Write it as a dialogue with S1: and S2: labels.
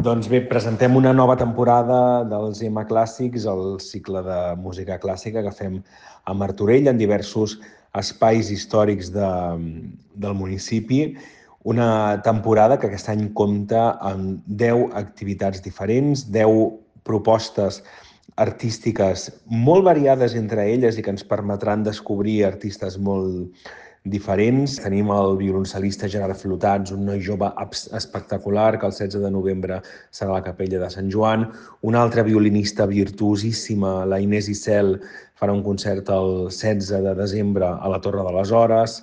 S1: Doncs bé, presentem una nova temporada dels EMA Clàssics, el cicle de música clàssica que fem a Martorell en diversos espais històrics del municipi. Una temporada que aquest any compta amb 10 activitats diferents, 10 propostes artístiques molt variades entre elles i que ens permetran descobrir artistes molt diferents. Tenim el violoncel·lista Gerard Flotats, un noi jove espectacular, que el 16 de novembre serà a la Capella de Sant Joan. Una altra violinista virtuosíssima, la Inés Icel, farà un concert el 16 de desembre a la Torre de les Hores.